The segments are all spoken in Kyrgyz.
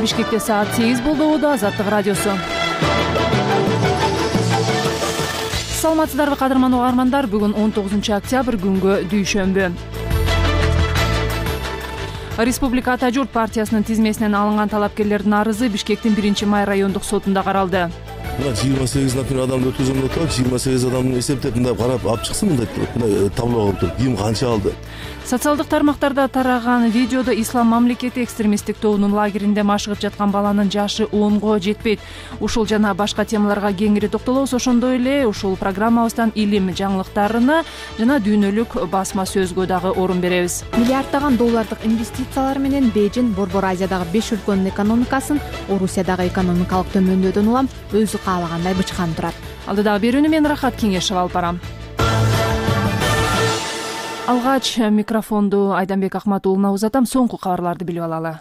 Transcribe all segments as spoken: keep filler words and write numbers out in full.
Бишкекте саат сегиз болду. Убада Азаттык радиосу. Саламатсыздарбы кадырман угармандар? Бүгүн он тогузунчу октябрь күнгө дүйшөмбү. Республика Ата журт партиясынын тизмесинен алынган талапкерлердин арызы Бишкектин биринчи май райондук сотунда каралды. Мына жыйырма сегиз например адамды өткөзгөн деп атат. жыйырма сегиз адамдын эсептеп мындай карап алып чыксын, мындай мындай табло кылып туруп, ким канча алды. Социалдык тармактарда тараган видеодо Ислам мамлекети экстремисттик тобунун лагеринде машыгып жаткан баланын жашы онго жетпейт. Ушул жана башка темаларга кеңири токтолобуз. Ошондой эле ушул программабыздан илим жаңылыктарына жана дүйнөлүк басма сөзгө дагы орун беребиз. Миллиарддаган доллардык инвестициялар менен Бейжин Борбор Азиядагы беш өлкөнүн экономикасын Орусиядагы экономикалык төмөндөдөн улам өзү каалагандай бычкан турат. Алдыдагы берүүнү мен Рахат Кеңешева алып барам. Алгач микрофонду Айданбек Акматуулуна узатам. Соңку кабарларды билип алалы.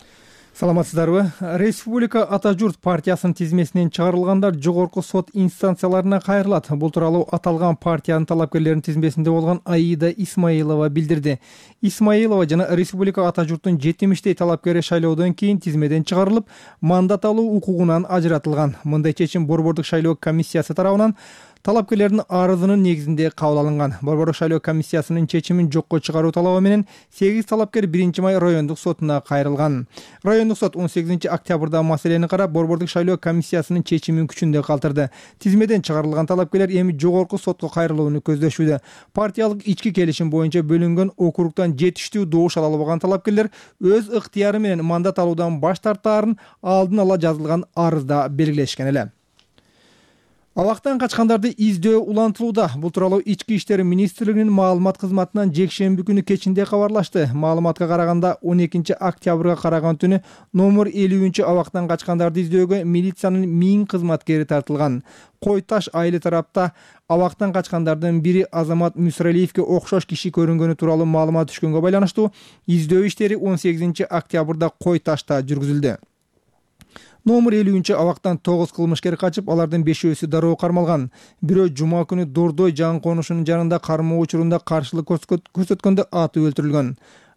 Саламатсыздарбы? Республика Ата журт партиясынын тизмесинен чыгарылгандар жогорку сот инстанцияларына кайрылат. Бул тууралуу аталган партиянын талапкерлеринин тизмесинде болгон Аида Исмаилова билдирди. Исмаилова жана Республика Ата журттун жетимиштей талапкери шайлоодон кийин тизмеден чыгарылып, мандат алуу укугунан ажыратылган. Мындай чечим Борбордук шайлоо комиссиясы тарабынан талапкерлердин арызынын негизинде кабыл алынган. Борбордук шайлоо комиссиясынын чечимин жокко чыгаруу талабы менен сегиз талапкер биринчи май райондук сотуна кайрылган. Райондук сот он сегизинчи октябрда маселени карап, Борбордук шайлоо комиссиясынын чечимин күчүндө калтырды. Тизмеден чыгарылган талапкерлер эми жогорку сотко кайрылууну көздөшүүдө. Партиялык ички келишим боюнча бөлүнгөн округтан жетиштүү добуш ала албаган талапкерлер өз ыктыяры менен мандат алуудан баш тартаарын алдын ала жазылган арызда белгилешкен эле. Абактан качкандарды издөө улантылууда. Бул тууралуу Ички иштер министрлигинин маалымат кызматынан жекшемби күнү кечинде кабарлашты. Маалыматка караганда он экинчи октябрга караган түнү номер элүүнчү абактан качкандарды издөөгө милициянын миң кызматкери тартылган. Кой Таш айылы тарапта абактан качкандардын бири Азамат Мүсүралиевге окшош киши көрүнгөнү тууралуу маалымат түшкөнгө байланыштуу издөө иштери он сегизинчи октябрда Кой Ташта жүргүзүлдү. Номер элүүнчү абактан тогуз кылмышкер качып, алардын бешөөсү дароо кармалган. Бирөө жума күнү Дордой жан конушунун жанында кармоо учурунда каршылык көрсөткөндө атып өлтүрүлгөн.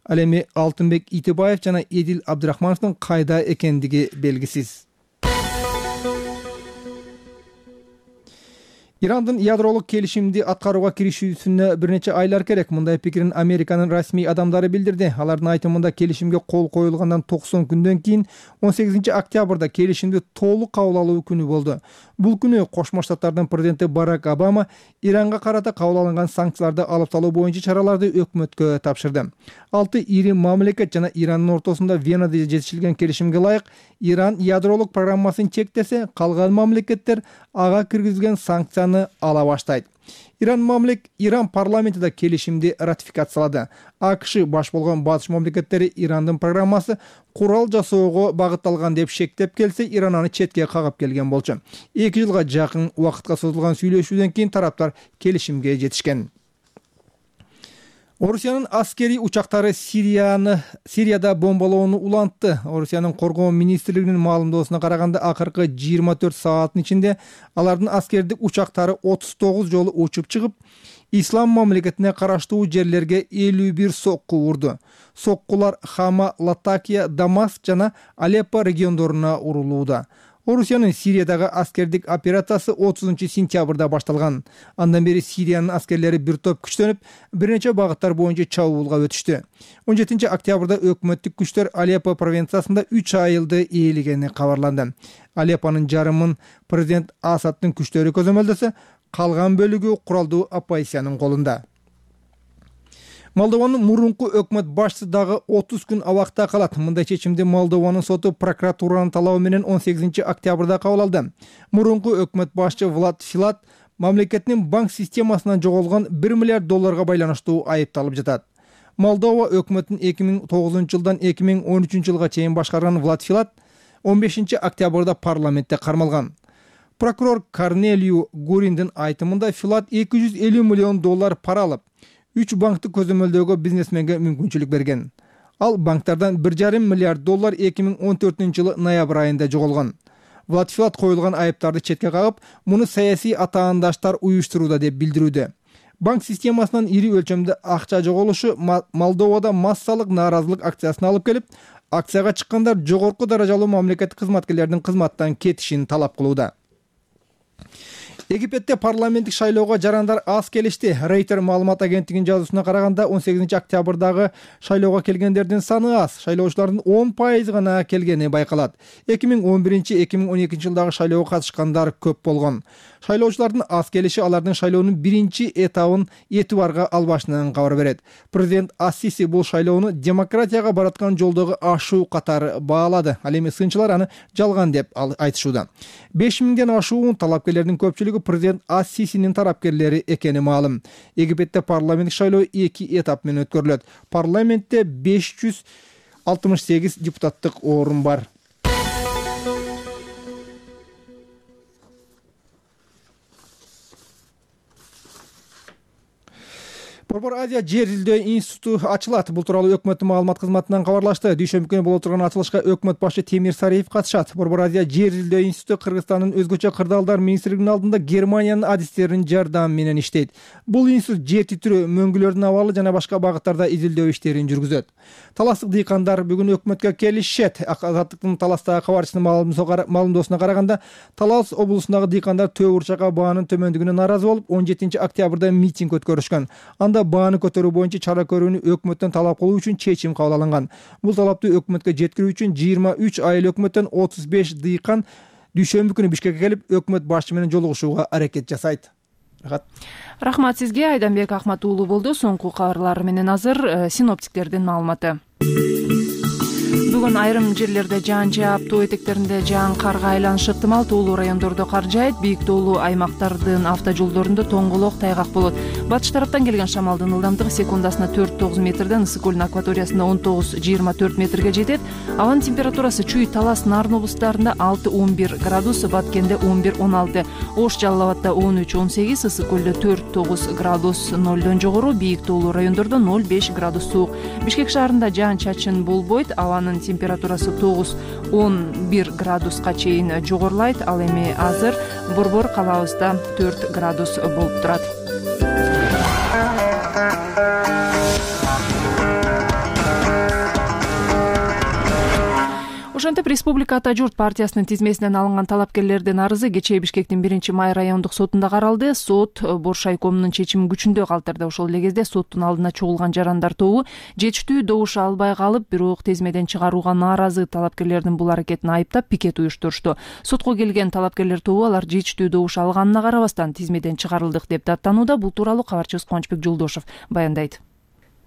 Ал эми Алтынбек Итибаев жана Эдил Абдрахмановдун кайда экендиги белгисиз. Ирандын ядролук келишимди аткарууга киришүүсүнө бир нече айлар керек. Мындай пикирин Американын расмий адамдары билдирди. Алардын айтымында келишимге кол коюлгандан токсон күндөн кийин он сегизинчи октябрда келишимди толук кабыл алуу күнү болду. Бул күнү Кошмо Штаттардын президенти Барак Обама Иранга карата кабыл алынган санкцияларды алып салуу боюнча чараларды өкмөткө тапшырды. Алты ири мамлекет жана Ирандын ортосунда Венада жетишилген келишимге ылайык Иран ядролук программасын чектесе, калган мамлекеттер ага киргизилген санкцияны ала баштайт. Иран мамлек Иран парламентида келишимди ратификациялады. АКШ баш болгон батыш мамлекеттери Ирандын программасы курал жасоого багытталган деп шектеп келсе, Иран аны четке кагып келген болчу. эки жылга жакын убакытка созулган сүйлөшүүдөн кийин тараптар келишимге жетишкен. Орусиянын аскери учактары Сирияны Сирияда бомбалоону улантты. Орусиянын коргоо министрлигинин маалымдоосуна караганда, акыркы жыйырма төрт сааттын ичинде алардын аскердик учактары отуз тогуз жолу учуп чыгып, Ислам мамлекетине караштуу жерлерге элүү бир сокку урду. Соккулар Хама, Латакия, Дамаск жана Алеппо региондоруна урулууда. Орусиянын Сириядагы аскердик операциясы отузунчу сентябрда башталган. Андан бери Сириянын аскерлери бир топ күчтөнүп, бир нече багыттар боюнча чабуулга өтүштү. он жетинчи октябрда өкмөттүк күчтөр Алеппо провинциясында үч айылды ээлегени кабарланды. Алеппонун жарымын президент Асадтын күчтөрү көзөмөлдөсө, калган бөлүгү куралдуу оппозициянын колунда. Молдованын мурунку өкмөт башчысы дагы отуз күн абакта калат. Мындай чечимди Молдованын соту прокуратуранын талабы менен он сегизинчи октябрда кабыл алды. Мурунку өкмөт башчы Влад Филат мамлекеттин банк системасынан жоголгон бир миллиард долларга байланыштуу айыпталып жатат. Молдова өкмөтүн эки миң тогузунчу жылдан эки миң он үчүнчү жылга чейин башкарган Влад Филат он бешинчи октябрда парламентте кармалган. Прокурор Корнелию Гуриндин айтымында Филат эки жүз элүү миллион доллар пара алып, үч банкты көзөмөлдөөгө бизнесменге мүмкүнчүлүк берген. Ал банктардан бир жарым миллиард доллар эки миң он төртүнчү жылы ноябрь айында жоголгон. Влад Филат коюлган айыптарды четке кагып, муну саясий атаандаштар уюштурууда деп билдирүүдө. Банк системасынан ири өлчөмдө акча жоголушу Молдовада массалык нааразылык акциясына алып келип, Акцияга чыккандар жогорку даражалуу мамлекеттик кызматкерлердин кызматтан кетишин талап кылууда. Египетте парламенттик шайлоого жарандар аз келишти. Рейтер маалымат агенттигинин жазуусуна караганда он сегизинчи октябрдагы шайлоого келгендердин саны аз, шайлоочулардын он пайызы гана келгени байкалат. эки миң он биринчи — эки миң он экинчи жылдагы шайлоого катышкандар көп болгон. Шайлоочулардын аз келиши алардын шайлоонун биринчи этабын этибарга албашынан кабар берет. Президент Ас-Сиси бул шайлоону демократияга бараткан жолдогу ашуу катары баалады. Ал эми сынчылар аны жалган деп айтышууда. беш миңден ашуун талапкерлердин көпчүлүгү президент Ас-Сисинин тарапкерлери экени маалым. Египетте парламенттик шайлоо эки этап менен өткөрүлөт. Парламентте беш жүз алтымыш сегиз депутаттык орун бар. Борбор Азия жер изилдөө институту ачылат. Бул тууралуу өкмөттүн маалымат кызматынан кабарлашты. Дүйшөмбү күнү боло турган ачылышка өкмөт башы Темир Сариев катышат. Борбор Азия жер изилдөө институту Кыргызстандын өзгөчө кырдаалдар министрлигинин алдында Германиянын адистеринин жардамы менен иштейт. Бул институт жер титирөө, мөңгүлөрдүн абалы жана башка багыттарда изилдөө иштерин жүргүзөт. Таластык дыйкандар бүгүн өкмөткө келишет. Азаттыктын Таластагы кабарчысынын маалымдоосуна караганда, Талас облусундагы дыйкандар Төө Урчакка баанын төмөндүгүнө нааразы болуп, он жетинчи октябрда митинг өткөрүшкөн. Анда бааны көтөрүү боюнча чара көрүүнү өкмөттөн талап кылуу үчүн чечим кабыл алынган. Бул талапты өкмөткө жеткирүү үчүн жыйырма үч айыл өкмөттөн отуз беш дыйкан дүйшөмбү күнү Бишкекке келип, өкмөт башчы менен жолугушууга аракет жасайт. Рахмат сизге. Айданбек Ахмат уулу болду. Соңку кабарлар менен азыр синоптиктердин маалыматы. Бүгүн айрым жерлерде жаан жаап, тоо этектеринде жаан карга айланышы ыктымал. Тоолуу райондордо кар жаайт. Бийик тоолуу аймактардын автожолдорунда тоңголок, тайгак болот. Батыш тараптан келген шамалдын ылдамдыгы секундасына төрт тогуз метрден, ысык көлдүн акваториясында он тогуз жыйырма төрт метрге жетет. Абанын температурасы Чүй, Талас, Нарын облустарында алты он бир градус, Баткенде он бир он алты, Ош, Жалал Абадда он үч он сегиз, ысык көлдө төрт тогуз градус, нолдон жогору, бийик тоолуу райондордо ноль беш градус суук. Бишкек шаарында жаан чачын болбойт. Абанын температурасы тогуз он бир градуска чейин жогорулайт. Ал эми азыр Борбор калабызда төрт градус болуп турат. Ошентип Республика Ата журт партиясынын тизмесинен алынган талапкерлердин арызы кечээ Бишкектин биринчи май райондук сотунда каралды. Сот Боршайкомдун чечимин күчүндө калтырды. Ошол эле кезде соттун алдына чогулган жарандар тобу жетиштүү добуш албай калып, бирок тизмеден чыгарууга нааразы талапкерлердин бул аракетин айыптап пикет уюштурушту. Сотко келген талапкерлер тобу алар жетиштүү добуш алганына карабастан тизмеден чыгарылдык деп даттанууда. Бул тууралуу кабарчыбыз Кубанычбек Жолдошев баяндайт.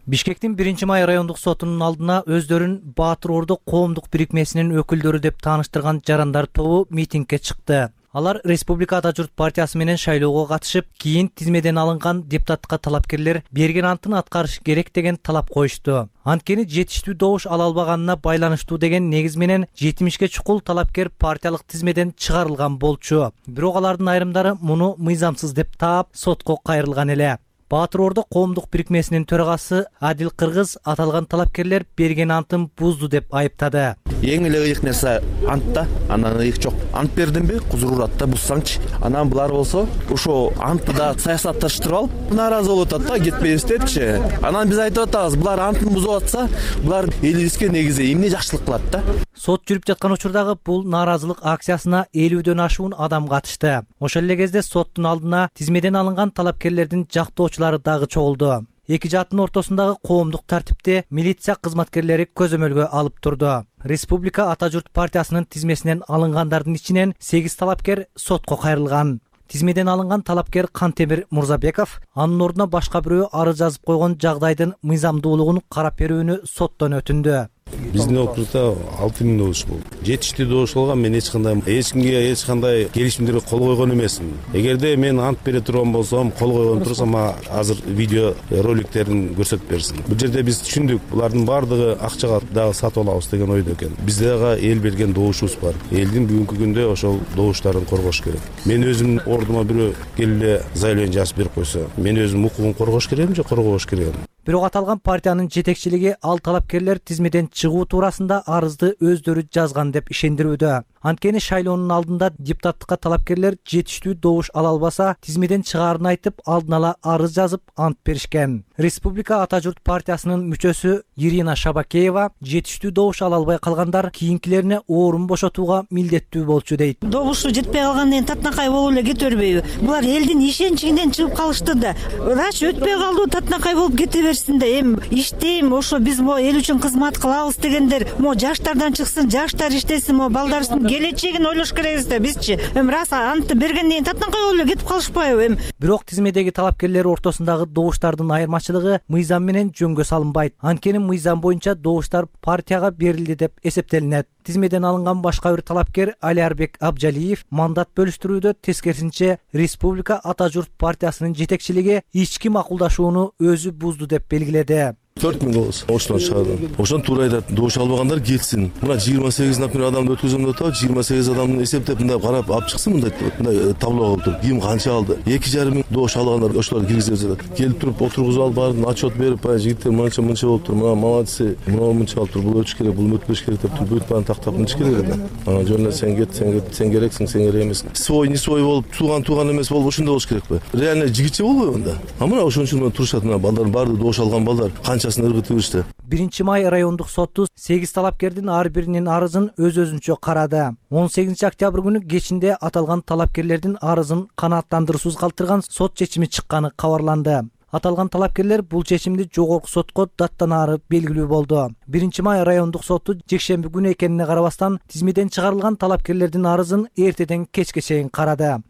Бишкектин биринчи май райондук сотунун алдына өздөрүн Баатыр Ордо коомдук бирикмесинин өкүлдөрү деп тааныштырган жарандар тобу митингге чыкты. Алар Республика Ата журт партиясы менен шайлоого катышып, кийин тизмеден алынган депутатка талапкерлер берген антын аткарыш керек деген талап коюшту. Анткени жетиштүү добуш ала албаганына байланыштуу деген негиз менен жетимишке чукул талапкер партиялык тизмеден чыгарылган болчу. Бирок алардын айрымдары муну мыйзамсыз деп таап, сотко кайрылган эле. Баатыр Ордо коомдук бирикмесинин төрагасы Адил Кыргыз аталган талапкерлер берген антын бузду деп айыптады. Эң эле ыйык нерсе антта, анан ыйык жок. Ант бердимби? Кузуруратта буссаңчы. Анан булар болсо, ошо антты да саясатташтырып алып, нааразы болуп атат да, кетпейбиз депчи. Анан биз айтып атабыз, булар антын бузуп атса, булар элибизге негизи эмне жакшылык кылат да? Сот жүрүп жаткан учурдагы бул нааразылык акциясына элүүдөн ашуун адам катышты. Ошол эле кезде соттун алдына тизмеден алынган талапкерлердин жактоочулары дагы чогулду. Эки жааттын ортосундагы коомдук тартипти милиция кызматкерлери көзөмөлгө алып турду. Республика Ата журт партиясынын тизмесинен алынгандардын ичинен сегиз талапкер сотко кайрылган. Тизмеден алынган талапкер Кантемир Мурзабеков анын ордуна башка бирөө арыз жазып койгон жагдайдын мыйзамдуулугун карап берүүнү соттон өтүндү. Биздин округда алты миң добуш болду. Жетиштүү добуш болгон, мен эч кандай эч кимге эч кандай келишимдерге кол койгон эмесмин. Эгерде мен ант бере турган болсом, кол койгон турсам, азыр видео роликтерин көрсөтүп берсин. Бул жерде биз түшүндүк, булардын баардыгы акчага дагы сатып алабыз деген ойдо экен. Бизде дагы эл берген добушубуз бар. Элдин бүгүнкү күндө ошол добуштарын коргош керек. Мен өзүм ордума бирөө келип эле заявление жазып берип койсо, мен өзүм укугун коргош керекми же коргобош керекми? Бирок аталган партиянын жетекчилиги ал талапкерлер тизмеден чыгуу туурасында арызды өздөрү жазган деп ишендирүүдө. Анткени шайлоонун алдында депутаттыкка талапкерлер жетиштүү добуш ала албаса, тизмеден чыгаарын айтып, алдын ала арыз жазып, ант беришкен. Республика Ата журт партиясынын мүчөсү Ирина Шабакеева жетиштүү добуш ала албай калгандар кийинкилерине орун бошотууга милдеттүү болчу дейт. Добушу жетпей калгандан кийин татынакай болуп эле кете бербейби? Булар элдин ишенчинен чыгып калышты да. Раш өтпөй калды, татынакай болуп кете берсин да. Эми иштейм, ошо биз мо эл үчүн кызмат кылабыз дегендер, мо жаштардан чыксын, жаштар иштесин, мо балдарыбыздын келечегин ойлош керекпиз да бизчи. Эми рас антты бергенден кийин татынакай болуп эле кетип калышпайбы эми? Бирок тизмедеги талапкерлер ортосундагы добуштардын айырмачылыгы мыйзам менен жөнгө салынбайт. Анткени мыйзам боюнча добуштар партияга берилди деп эсептелинет. Тизмеден алынган башка бир талапкер Алиарбек Абжалиев мандат бөлүштүрүүдө тескерисинче Республика Ата журт партиясынын жетекчилиги ички макулдашууну өзү бузду деп белгиледи. төрт миң голос ошондон чыгарды. Ошон туура айтат, добуш албагандар кетсин. Мына жыйырма сегиз например адамды өткөзөм деп атат, жыйырма сегиз адамды эсептеп мындай карап алып чыксын, мындай мындай табло кылып туруп, ким канча алды. эки жарым миң добуш алгандар ошолор киргизип жатат. Келип туруп отургузуп алып баарын отчет берип, ай жигиттер мынча мынча болуп тур, мына молодцы, мына мынча алып тур, бул өтүш керек, бул өтпөш керек деп туруп бүт баарын тактап мынча керек да. Ана жөн эле сен кет, сен кет, сен керексиң, сен керек эмессиң. Свой, не свой болуп, тууган тууган эмес болуп ошондой болуш керекпи? Реально жигитче болбойбу анда? А мына ошон үчүн турушат, мына балдардын баары добуш алган балдар канчасын ыргытып беришти. биринчи май райондук соту сегиз талапкердин ар биринин арызын өз-өзүнчө карады. он сегизинчи октябрь күнү кечинде аталган талапкерлердин арызын канааттандыруусуз калтырган сот чечими чыкканы кабарланды. Аталган талапкерлер бул чечимди жогорку сотко даттанаары белгилүү болду. биринчи май райондук соту жекшемби күнү экенине карабастан тизмеден чыгарылган талапкерлердин арызын эртеден кечке чейин карады.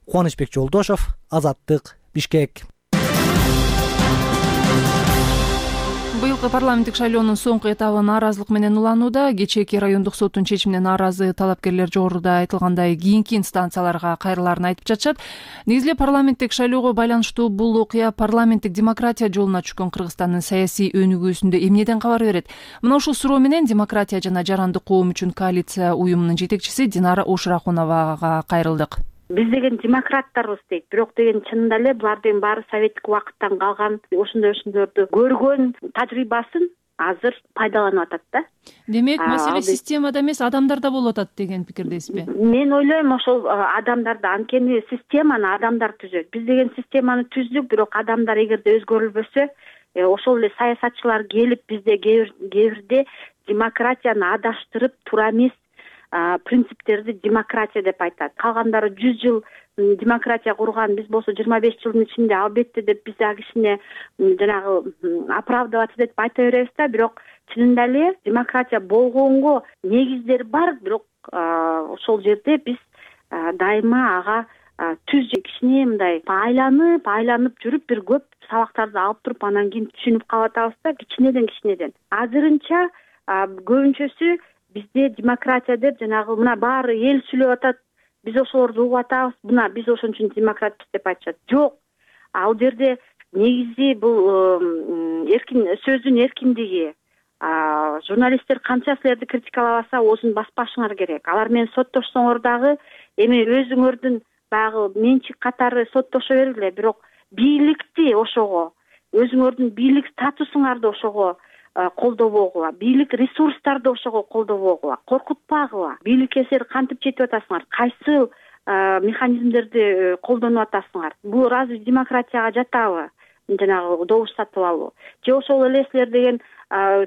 Кубанычбек Жолдошов, Азаттык, Бишкек. Быйылкы парламенттик шайлоонун соңку этабы нааразылык менен уланууда. Кечээки райондук соттун чечимине нааразы талапкерлер жогоруда айтылгандай кийинки инстанцияларга кайрылаарын айтып жатышат. Негизги парламенттик шайлоого байланыштуу бул окуя парламенттик демократия жолуна түшкөн Кыргызстандын саясий өнүгүүсүндө эмнеден кабар берет? Мына ушул суроо менен демократия жана жарандык коом үчүн коалиция уюмунун жетекчиси Динара Ушрахуновага кайрылдык. Биз деген демократтарбыз дейт, бирок деген чынында эле булардын баары советтик убакыттан калган ошондой ошондорду көргөн тажрыйбасын азыр пайдаланып атат да. Демек, маселе системада эмес, адамдарда болуп атат деген пикирдесизби? Мен ойлойм, ошол адамдарда, анткени системаны адамдар түзөт. Биз деген системаны түздүк, бирок адамдар эгерде өзгөрүлбөсө, ошол эле саясатчылар келип бизде кээ бирде демократияны адаштырып, туура эмес принциптерди демократия деп айтат. Калгандары жүз жыл демократия курган, биз болсо жыйырма беш жылдын ичинде албетте деп биз а кишине жанагы оправдываться деп айта беребиз да, бирок чынында эле демократия болгонго негиздер бар, бирок ошол жерде биз дайыма ага түз кичине мындай айланып, айланып жүрүп бир көп сабактарды алып туруп анан кийин түшүнүп калып атабыз да, кичинеден кичинеден. Азырынча көбүнчөсү бизде демократия деп жанагы мына баары эл сүйлөп атат, биз ошолорду угуп атабыз, мына биз ошон үчүн демократпыз деп айтышат. Жок, ал жерде негизи бул эркин сөздүн эркиндиги. Журналисттер канча силерди критикалабаса, оозун баспашыңар керек. Алар менен соттошсоңор дагы эми өзүңөрдүн баягы менчик катары соттошо бергиле, бирок бийликти ошого, өзүңөрдүн бийлик статусуңарды ошого колдобогула, бийлик ресурстарды ошого колдобогула, коркутпагыла. Бийликке силер кантип жетип атасыңар, кайсы механизмдерди колдонуп атасыңар? Бул разве демократияга жатабы? Жанагы добуш сатып алуу. Же ошол эле силер деген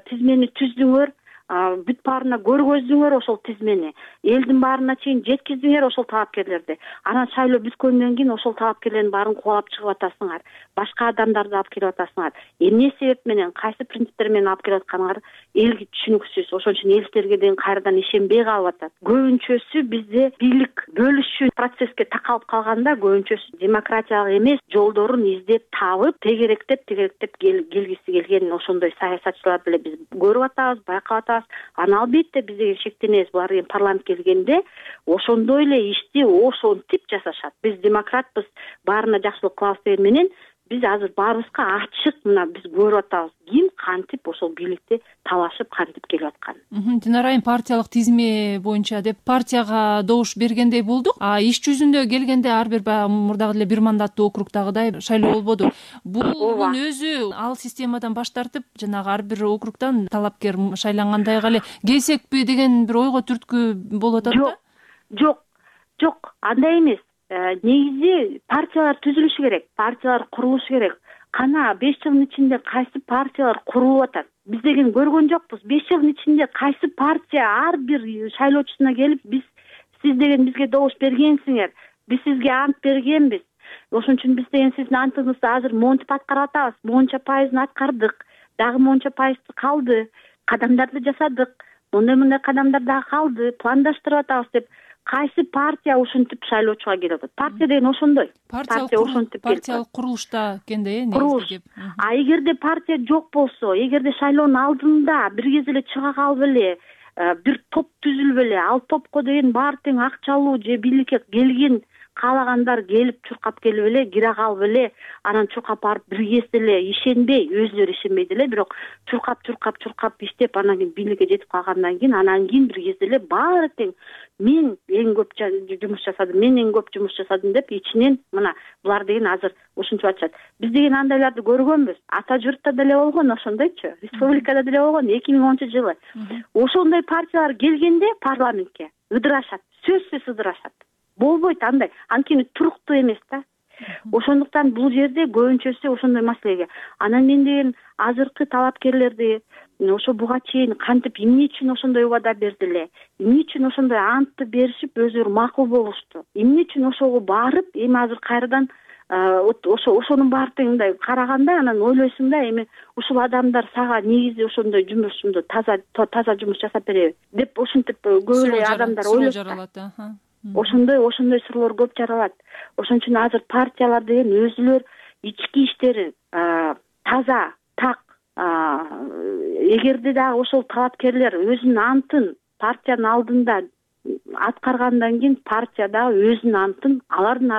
тизмени түздүңөр, бүт баарына көргөздүңөр ошол тизмени, элдин баарына чейин жеткиздиңер ошол талапкерлерди. Анан шайлоо бүткөндөн кийин ошол талапкерлердин баарын кубалап чыгып атасыңар, башка адамдарды алып келип атасыңар. Эмне себеп менен, кайсы принциптер менен алып келип атканыңар элге түшүнүксүз. Ошон үчүн эл силерге деген кайрадан ишенбей калып атат. Көбүнчөсү бизде бийлик бөлүшүү процесске такалып калганда, көбүнчөсү демократиялык эмес жолдорун издеп табып, тегеректеп тегеректеп келгиси келген ошондой саясатчыларды эле биз көрүп атабыз, байкап атабыз. Аны албетте биз деген шектенебиз, булар деген парламент келгенде ошондой эле ишти ошентип жасашат. Биз демократпыз, баарына жакшылык кылабыз деген менен биз азыр баарыбызга ачык мына биз көрүп атабыз ким кантип ошол бийликти талашып кантип келип атканын. Динара айым, партиялык тизме боюнча деп партияга добуш бергендей болдук, а иш жүзүндө келгенде ар бир баягы мурдагы эле бир мандаттуу округдагыдай шайлоо болбоду. Бунун өзү ал системадан баш тартып жанагы ар бир округдан талапкер шайлангандайга эле келсекпи деген бир ойго түрткү болуп атат да? Жок, жок, андай эмес. Негизи партиялар түзүлүшү керек, партиялар курулушу керек. Кана беш жылдын ичинде кайсы партиялар курулуп атат? Биз деген көргөн жокпуз. беш жылдын ичинде кайсы партия ар бир шайлоочусуна келип, биз сиз деген бизге добуш бергенсиңер, биз сизге ант бергенбиз. Ошон үчүн биз деген сиздин антыңызды азыр монтип аткарып атабыз. Монча пайызын аткардык, дагы монча пайызы калды. Кадамдарды жасадык. Мындай-мындай кадамдар дагы калды. Пландаштырып атабыз деп кайсы партия ошентип шайлоочуга келип атат? Партия деген ошондой. Партия ошентип партиялык курулушта экенде, э, курулуш. А эгерде партия жок болсо, эгерде шайлоонун алдында бир кез эле чыга калып эле бир топ түзүлүп эле, ал топко деген баары тең акчалуу же бийликке келген каалагандар келип чуркап келип эле, кире калып эле, анан чуркап барып бир кез эле ишенбей, өзүлөрү ишенбейт эле, бирок чуркап чуркап чуркап иштеп анан кийин бийликке жетип калгандан кийин анан кийин бир кез эле баары тең мен эң көп жумуш жасадым, мен эң көп жумуш жасадым деп ичинен мына булар деген азыр ушинтип атышат. Биз деген андайларды көргөнбүз. Ата журтта деле болгон ошондойчу, республикада деле болгон эки миң онунчу жылы. Ошондой партиялар келгенде парламентке ыдырашат, сөзсүз ыдырашат. Болбойт андай, анткени туруктуу эмес да. Ошондуктан бул жерде көбүнчөсү ошондой маселеге. Анан мен деген азыркы талапкерлерди ошо буга чейин кантип эмне үчүн ошондой убада берди эле, эмне үчүн ошондой антты беришип өзүлөрү макул болушту, эмне үчүн ошого барып эми азыр кайрадан ошо ошонун баары тең мындай караганда анан ойлойсуң да, эми ушул адамдар сага негизи ошондой жумушумду таза таза жумуш жасап береби деп ошентип көп эле адамдар ойлойт. Ошондой ошондой суроолор көп жаралат. Ошон үчүн азыр партиялар деген өзүлөр ички иштерин таза, так, эгерде дагы ошол талапкерлер өзүнүн антын партиянын алдында аткаргандан кийин партия дагы өзүнүн антын алардын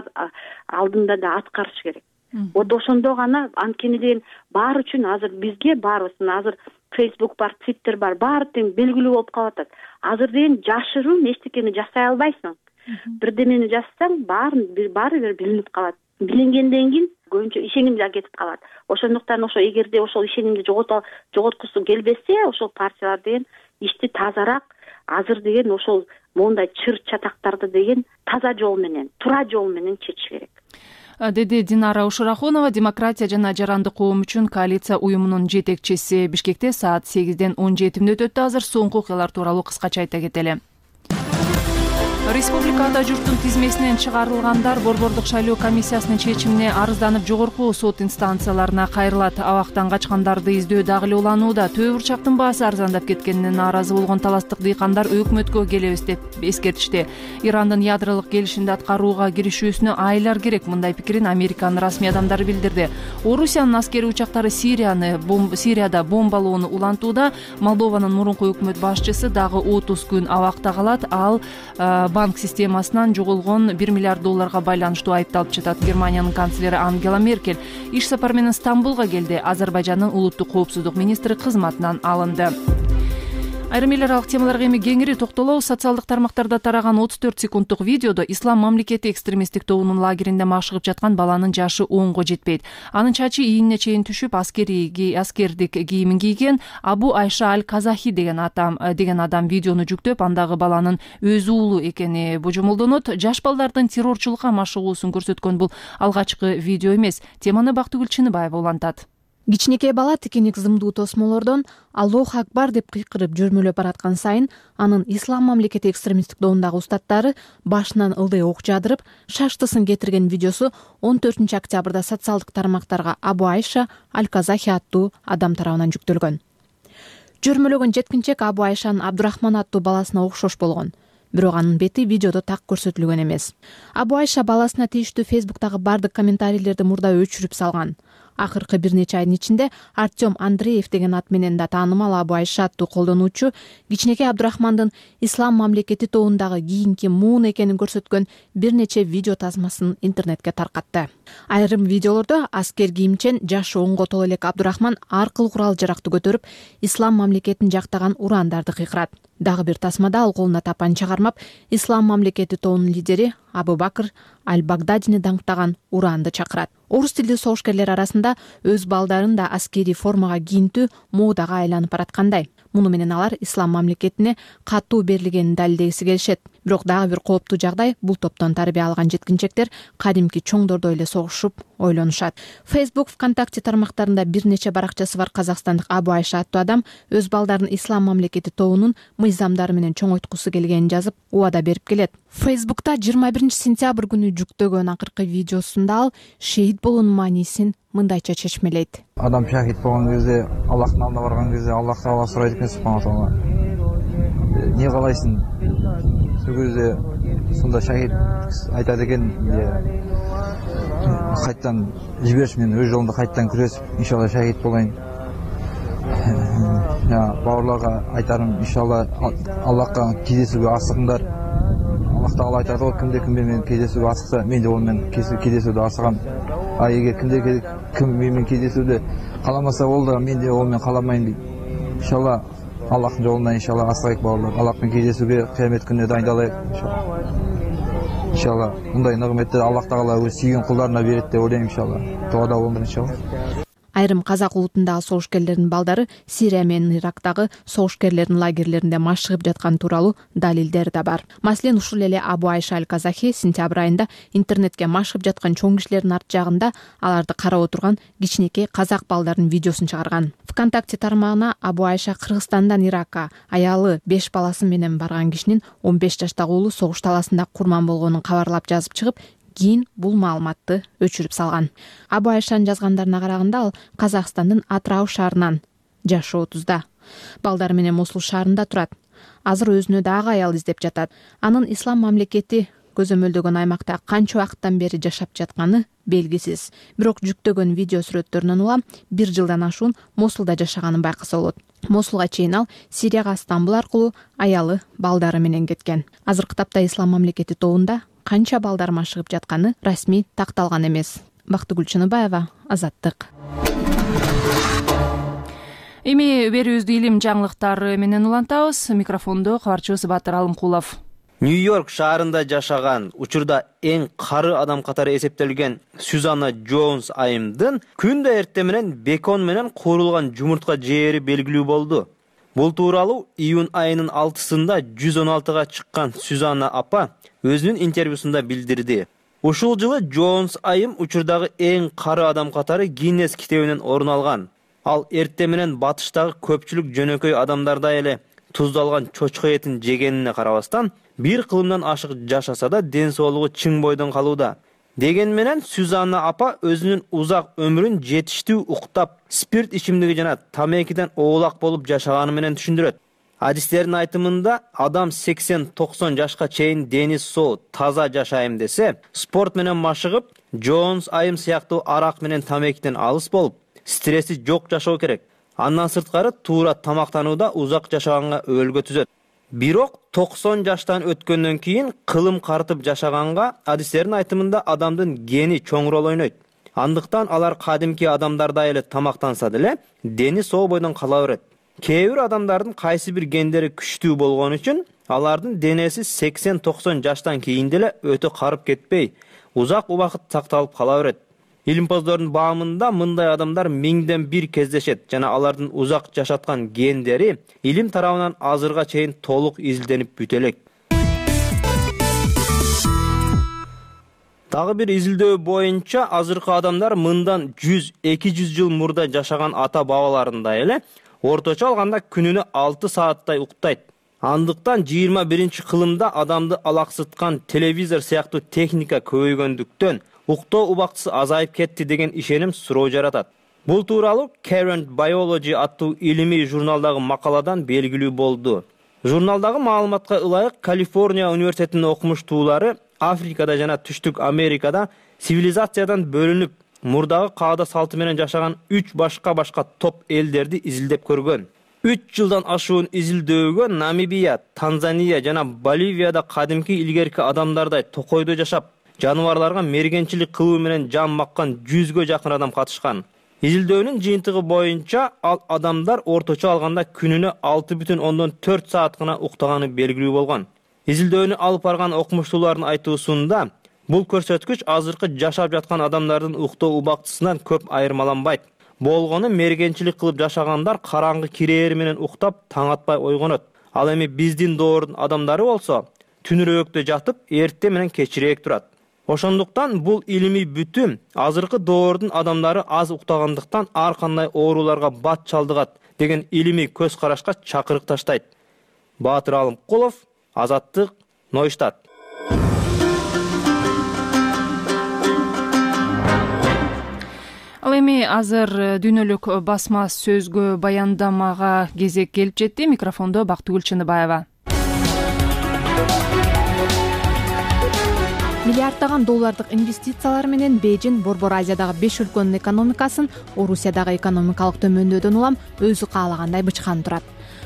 алдында да аткарыш керек. Вот ошондо гана, анткени деген баары үчүн азыр бизге баарыбыздын азыр Facebook бар, Twitter бар, баары тең белгилүү болуп калып атат. Азыр деген жашыруун эчтекени жасай албайсың. Бирдемени жазсаң баарын баары бир билинип калат. Билингенден кийин көбүнчө ишеним да кетип калат. Ошондуктан ошо эгерде ошол ишенимди жоготкусу келбесе, ошол партиялар деген ишти тазараак, азыр деген ошол мондай чыр чатактарды деген таза жол менен, туура жол менен чечиш керек. Деди Динара Ушурахунова, демократия жана жарандык коом үчүн коалиция уюмунун жетекчиси. Бишкекте саат сегизден он жети мүнөт өттү. Азыр соңку окуялар тууралуу кыскача айта кетели. Республика ата журттун тизмесинен чыгарылгандар Борбордук шайлоо комиссиясынын чечимине арызданып жогорку сот инстанцияларына кайрылат. Абактан качкандарды издөө дагы эле уланууда. Төө бурчактын баасы арзандап кеткенине нааразы болгон таластык дыйкандар өкмөткө келебиз деп эскертишти. Ирандын ядролук келишимди аткарууга киришүүсүнө айлар керек. Мындай пикирин Американын расмий адамдары билдирди. Орусиянын аскери учактары Сирияны Сирияда бомбалоону улантууда. Молдованын мурунку өкмөт башчысы дагы отуз күн абакта калат. Ал банк системасынан жоголгон бир миллиард долларга байланыштуу айыпталып жатат. Германиянын канцлери Ангела Меркель иш сапар менен Стамбулга келди. Азербайжандын улуттук коопсуздук министри кызматынан алынды. Айрым эл аралык темаларга эми кеңири токтолобуз. Социалдык тармактарда тараган отуз төрт секунддук видеодо Ислам мамлекети экстремисттик тобунун лагеринде машыгып жаткан баланын жашы онго жетпейт. Анын чачы ийине чейин түшүп, аскери аскердик кийимин кийген. Абу Айша Аль-Казахи деген адам деген адам видеону жүктөп, андагы баланын өз уулу экени божомолдонот. Жаш балдардын террорчулукка машыгуусун көрсөткөн бул алгачкы видео эмес. Теманы Бактыгүл Чыныбаева улантат. Кичинекей бала тикиник зымдуу тосмолордон Аллох акбар деп кыйкырып жүрмөлөп бараткан сайын анын Ислам мамлекети экстремисттик тобундагы устаттары башынан ылдый ок жаадырып, шаштысын кетирген видеосу он төртүнчү октябрда социалдык тармактарга Абу Айша Аль-Казахи аттуу адам тарабынан жүктөлгөн. Жүрмөлөгөн жеткинчек Абу Айшанын Абдурахман аттуу баласына окшош болгон. Бирок анын бети видеодо так көрсөтүлгөн эмес. Абу Айша баласына тийиштүү Facebook'тагы бардык комментарийлерди мурда өчүрүп салган. Акыркы бир нече айдын ичинде Артем Андреев деген ат менен да таанымал Абу Айша аттуу колдонуучу кичинекей Абдурахмандын ислам мамлекети тобундагы кийинки муун экенин көрсөткөн бир нече видео тасмасын интернетке таркатты. Айрым видеолордо аскер кийимчен жашы онго толо элек Абдурахман ар кыл курал жаракты көтөрүп, ислам мамлекетин жактаган урандарды кыйкырат. Дагы бир тасмада ал колуна тапанча кармап, ислам мамлекети тобунун лидери Абу Бакр аль-Багдадини даңктаган уранды чакырат. Орус тилдүү согушкерлер арасында өз балдарын да аскерий формага кийинтүү модага айланып бараткандай. Муну менен алар ислам мамлекетине катуу берилгенин далилдегиси келишет. Бирок дагы бир кооптуу жагдай, бул топтон тарбия алган жеткинчектер кадимки чоңдордой эле согушуп ойлонушат. Facebook, ВКонтакте тармактарында бир нече баракчасы бар казакстандык Абу Айша аттуу адам өз балдарын ислам мамлекети тобунун мыйзамдары менен чоңойткусу келгенин жазып, убада берип келет. Facebook'та жыйырма биринчи сентябрь күнү жүктөгөн акыркы видеосунда ал шейит болуунун маанисин мындайча чечмелейт. Адам шахид болгон кезде, Аллахтын алдына барган кезде Аллах таала сурайт экен субхана таала. Не каалайсың? Сол кезде сонда шахид айтат экен, кайттан жибериш, мен өз жолумда кайттан күрөсүп, иншалла шахид болайын. Бауырларга айтарым, иншалла Аллахка кездесүүгө асыгыңдар. Аллах таала айтат го, кимде кимде менен кездесүүгө асыкса, мен де ол менен кездесүүдө асыгам. А эгер кимде ким менен кездесүүдө каламаса, ол да мен де ол менен каламайм дейт. Иншалла Аллахтын жолунда иншалла асыгайык бауырлар. Аллах менен кездесүүгө кыямет күнүнө дайындалайык иншалла. Иншалла мындай нығметти Аллах таала өз сүйгөн кулдарына берет деп ойлойм иншалла. Тоодо болдур иншалла. Айрым казак улутундагы согушкерлердин балдары Сирия менен Ирактагы согушкерлердин лагерлеринде машыгып жаткан тууралуу далилдер да бар. Маселен, ушул эле Абу Айша аль-Казахи сентябрь айында интернетке машыгып жаткан чоң кишилердин арт жагында аларды карап отурган кичинекей казак балдардын видеосун чыгарган. ВКонтакте тармагына Абу Айша Кыргызстандан Иракка аялы беш баласы менен барган кишинин он беш жаштагы уулу согуш таласында курман болгонун кабарлап жазып чыгып, кийин бул маалыматты өчүрүп салган. Абу Айшанын жазгандарына караганда ал Казакстандын Атрау шаарынан, жашы отузда. Балдары менен Мосул шаарында турат. Азыр өзүнө дагы аял издеп жатат. Анын ислам мамлекети көзөмөлдөгөн аймакта канча убакыттан бери жашап жатканы белгисиз. Бирок жүктөгөн видео сүрөттөрүнөн улам бир жылдан ашуун Мосулда жашаганын байкаса болот. Мосулга чейин ал Сирияга Стамбул аркылуу аялы, балдары менен кеткен. Азыркы тапта ислам мамлекети тобунда канча балдар машыгып жатканы расмий такталган эмес. Бактыгүл Чыныбаева, Азаттык. Эми берүүбүздү илим жаңылыктары менен улантабыз. Микрофондо кабарчыбыз Батыр Алымкулов. Нью-Йорк шаарында жашаган, учурда эң кары адам катары эсептелген Сюзанна Джонс айымдын күндө эртең менен бекон менен куурулган жумуртка жери белгилүү болду. Бул тууралуу июнь айынын алтысында жүз он алтыга чыккан Сюзанна апа өзүнүн интервьюсунда билдирди. Ушул жылы Джонс айым учурдагы эң кары адам катары Гиннес китебинен орун алган. Ал эртең менен батыштагы көпчүлүк жөнөкөй адамдардай эле туздалган чочко этин жегенине карабастан, бир кылымдан ашык жашаса да ден соолугу чың бойдон калууда. Деген менен Сюзанна апа өзүнүн узак өмүрүн жетиштүү уктап, спирт ичимдиги жана тамекиден оолак болуп жашаганы менен түшүндүрөт. Адистердин айтымында адам сексен токсон жашка чейин дени соо, таза жашайм десе, спорт менен машыгып, Джонс айым сыяктуу арак менен тамекиден алыс болуп, стресси жок жашоо керек. Андан сырткары туура тамактанууда узак жашаганга өбөлгө түзөт. Бирок токсон жаштан өткөндөн кийин кылым картып жашаганга адистердин айтымында адамдын гени чоң рол ойнойт. Андыктан алар кадимки адамдардай эле тамактанса деле, дени соо бойдон кала берет. Кээ бир адамдардын кайсы бир гендери күчтүү болгон үчүн алардын денеси сексен токсон жаштан кийин деле өтө карып кетпей, узак убакыт сакталып кала берет. Илимпоздордун баамында мындай адамдар миңден бир кездешет жана алардын узак жашаткан гендери илим тарабынан азырга чейин толук изилденип бүтө элек. Дагы бир изилдөө боюнча азыркы адамдар мындан жүз эки жүз жыл мурда жашаган ата бабаларындай эле орточо алганда күнүнө алты сааттай уктайт. Андыктан жыйырма биринчи кылымда адамды алаксыткан телевизор сыяктуу техника көбөйгөндүктөн уктоо убактысы азайып кетти деген ишеним суроо жаратат. Бул тууралуу Current Biology аттуу илимий журналдагы макаладан белгилүү болду. Журналдагы маалыматка ылайык Калифорния университетинин окумуштуулары Африкада жана Түштүк Америкада цивилизациядан бөлүнүп, мурдагы каада салты менен жашаган үч башка башка топ элдерди изилдеп көргөн. үч жылдан ашуун изилдөөгө Намибия, Танзания жана Боливияда кадимки илгерки адамдардай токойдо жашап, жаныбарларга мергенчилик кылуу менен жан маккан жүзгө жакын адам катышкан. Изилдөөнүн жыйынтыгы боюнча ал адамдар орточо алганда күнүнө алты бүтүн ондон төрт саат гана уктаганы белгилүү болгон. Изилдөөнү алып барган окумуштуулардын айтуусунда бул көрсөткүч азыркы жашап жаткан адамдардын уктоо убактысынан көп айырмаланбайт. Болгону мергенчилик кылып жашагандар караңгы кирээр менен уктап, таң атпай ойгонот. Ал эми биздин доордун адамдары болсо түнүрөөктө жатып, эртте менен кечирээк турат. Ошондуктан бул илимий бүтүм азыркы доордун адамдары аз уктагандыктан ар кандай ооруларга бат чалдыгат деген илимий көз карашка чакырык таштайт. Баатыр Алымкулов, Азаттык, Нойштадт. Ал эми азыр дүйнөлүк басма сөзгө баяндамага кезек келип жетти. Микрофондо Бактыгүл Чыныбаева. Миллиарддаган доллардык инвестициялар менен Бейжин Борбор Азиядагы беш өлкөнүн экономикасын Орусиядагы экономикалык төмөндөдөн улам өзү каалагандай бычкан турат.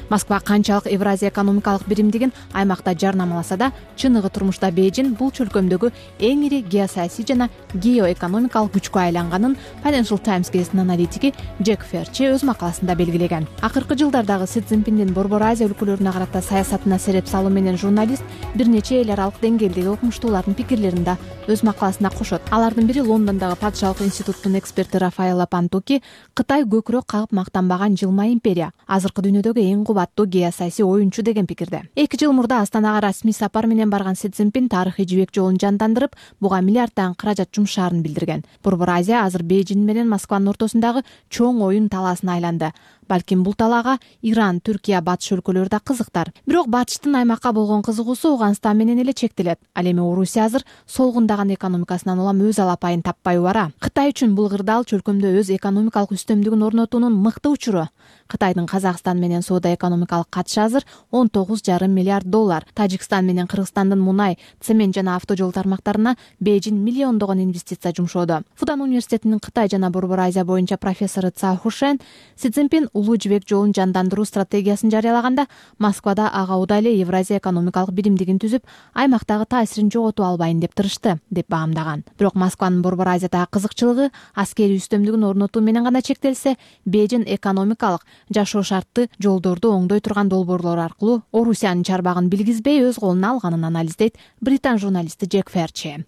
Москва канчалык Евразия экономикалык биримдигин аймакта жарнамаласа да, чыныгы турмушта Бейжин бул чөлкөмдөгү эң ири геосаясий жана геоэкономикалык күчкө айланганын Financial Times гезитинин аналитиги Джек Ферчи өз макаласында белгилеген. Акыркы жылдардагы Си Цзиньпиндин Борбор Азия өлкөлөрүнө карата саясатына сереп салуу менен журналист бир нече эл аралык деңгээлдеги окумуштуулардын пикирлерин да өз макаласына кошот. Алардын бири Лондондогу Падышалык институттун эксперти Рафаэлла Пантуки Кытай көкүрөк кагып мактанбаган жылма империя, азыркы дүйнөдөгү эң кубаттуу геосаясий оюнчу деген пикирде. Эки жыл мурда Астанага расмий сапар менен барган Си Цзиньпин тарыхый жибек жолун жандандырып, буга миллиарддаган каражат жумшаарын билдирген. Борбор Азия азыр Бейжин менен Москванын ортосундагы чоң оюн талаасына айланды. Балким бул талаага Иран, Түркия, Батыш өлкөлөрү да кызыктар. Бирок Батыштын аймакка болгон кызыгуусу Ауганстан менен эле чектелет. Ал эми Орусия азыр солгундаган экономикасынан улам өз алапайын таппай бара. Кытай үчүн бул кырдаал чөлкөмдө өз экономикалык үстөмдүгүн орнотуунун мыкты учуру. Кытайдын Казакстан менен соода экономикалык катышы азыр он тогуз жарым миллиард доллар. Тажикстан менен Кыргызстандын мунай, цемент жана автожол тармактарына Бейжин миллиондогон инвестиция жумшоодо. Фудан университетинин Кытай жана Борбор Азия боюнча профессору Цао Хушен Си Цзиньпин улуу жибек жолун жандандыруу стратегиясын жарыялаганда Москвада ага уда эле Евразия экономикалык биримдигин түзүп, аймактагы таасирин жоготуп албайын деп тырышты, деп баамдаган. Бирок Москванын Борбор Азиядагы кызыкчылыгы аскерий үстөмдүгүн орнотуу менен гана чектелсе, Бейжин экономикалык жашоо шартты жолдорду оңдой турган долбоорлор аркылуу Орусиянын чарбагын билгизбей өз колуна алганын анализдейт британ журналисти Джек Ферчи.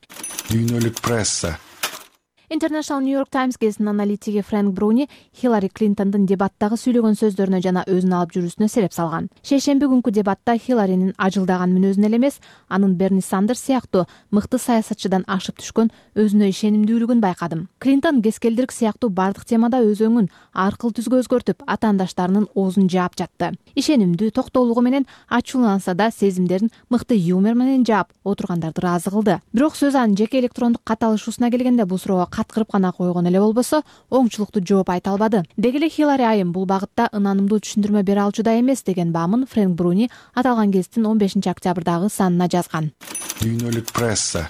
Дүйнөлүк пресса. International New York Times гезитинин аналитиги Фрэнк Бруни Хиллари Клинтондун дебаттагы сүйлөгөн сөздөрүнө жана өзүн алып жүрүүсүнө сереп салган. Шейшемби күнкү дебатта Хилларинин ажылдаган мүнөзүн эле эмес, анын Берни Сандерс сыяктуу мыкты саясатчыдан ашып түшкөн өзүнө ишенимдүүлүгүн байкадым. Клинтон кескелдирик сыяктуу бардык темада өз өңүн аркыл түзгө өзгөртүп, атаандаштарынын оозун жаап жатты. Ишенимдүү, токтоолугу менен ачууланса да сезимдерин мыкты юмор менен жаап отургандарды ыраазы кылды. Бирок сөз анын жеке электрондук кат алышуусуна келгенде бул суроого каткырып гана койгон эле болбосо, оңчулуктуу жооп айта албады. Деги эле Хиллари айым бул багытта ынанымдуу түшүндүрмө бере алчу да эмес деген баамын Фрэнк Бруни аталган гезиттин он бешинчи октябрдагы санына жазган. Дүйнөлүк пресса.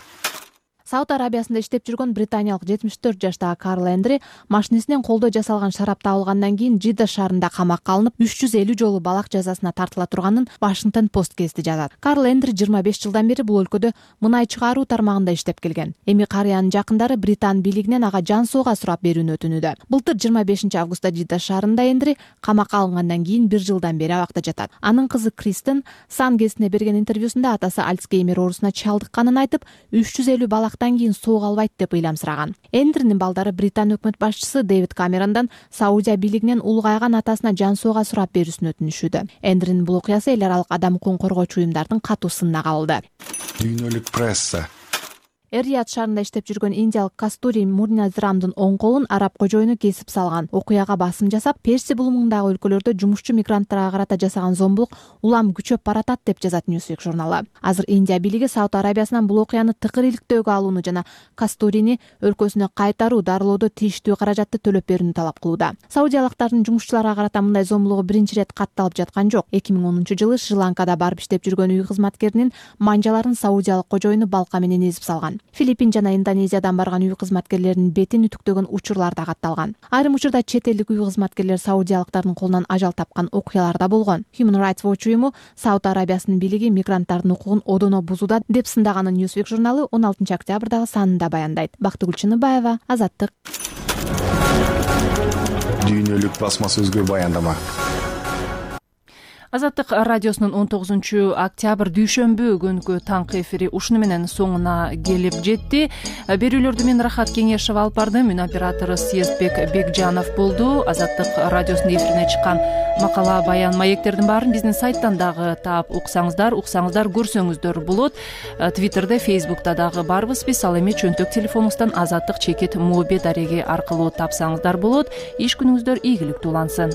Сауд Арабиясында иштеп жүргөн британиялык жетимиш төрт жаштагы Карл Эндри машинесинен колдо жасалган шарап табылгандан кийин Жидда шаарында камакка алынып үч жүз элүү жолу балак жазасына тартыла турганын Washington Post гезити жазат. Карл Эндри жыйырма беш жылдан бери бул өлкөдө мунай чыгаруу тармагында иштеп келген. Эми карыянын жакындары Британ бийлигинен ага жан сууга сурап берүүнү өтүнүүдө. Былтыр жыйырма бешинчи августта Жидда шаарында Эндри камакка алынгандан кийин бир жылдан бери абакта жатат. Анын кызы Кристен Сан гезитине берген интервьюсунда атасы Альцгеймер оорусуна чалдыкканын айтып, үч жүз элүү балак кийин сууга албайт деп ыйламсыраган. Эндринин балдары Британ өкмөт башчысы Дэвид Камерондон Саудия бийлигинен улгайган атасына жан сууга сурап берүүсүн өтүнүшүүдө. Эндринин бул окуясы эл аралык адам укугун коргоочу уюмдардын катуу сынына кабылды. Дүйнөлүк пресса. Эр-Рияд шаарында иштеп жүргөн индиялык Кастури Мурназрамдын оң колун араб кожоюну кесип салган. Окуяга басым жасап, Перси булумундагы өлкөлөрдө жумушчу мигранттарга карата жасаган зомбулук улам күчөп баратат деп жазат Newsweek журналы. Азыр Индия бийлиги Сауд Арабиясынан бул окуяны тыкыр иликтөөгө алууну жана Кастурини өлкөсүнө кайтаруу, дарылоодо тийиштүү каражатты төлөп берүүнү талап кылууда. Саудиялыктардын жумушчуларга карата мындай зомбулугу биринчи ирет катталып жаткан жок. эки миң онунчу жылы Шри-Ланкада барып иштеп жүргөн үй кызматкеринин манжаларын саудиялык кожоюну балка менен эзип салган. көрсөтүлгөн. Филиппин жана Индонезиядан барган үй кызматкерлеринин бетин үтүктөгөн учурлар да катталган. Айрым учурда чет элдик үй кызматкерлер саудиялыктардын колунан ажал тапкан окуялар да болгон. Human Rights Watch уюму Сауд Арабиясынын бийлиги мигранттардын укугун одоно бузууда деп сындаганын Newsweek журналы он алтынчы октябрдагы санында баяндайт. Бактыгүл Чыныбаева, Азаттык. Дүйнөлүк басма сөзгө баяндама. Азаттык радиосунун он тогузунчу октябрь дүйшөмбү күнкү таңкы эфири ушуну менен соңуна келип жетти. Берүүлөрдү мен Рахат Кеңешева алып бардым. Үн оператору Съездбек Бекжанов болду. Азаттык радиосунун эфирине чыккан макала, баян, маектердин баарын биздин сайттан дагы таап уксаңыздар, уксаңыздар, көрсөңүздөр болот. Твиттерде, Фейсбукта дагы барбыз биз. Ал эми чөнтөк телефонубуздан Азаттык чекит моби дареги аркылуу тапсаңыздар болот. Иш күнүңүздөр ийгиликтүү улансын.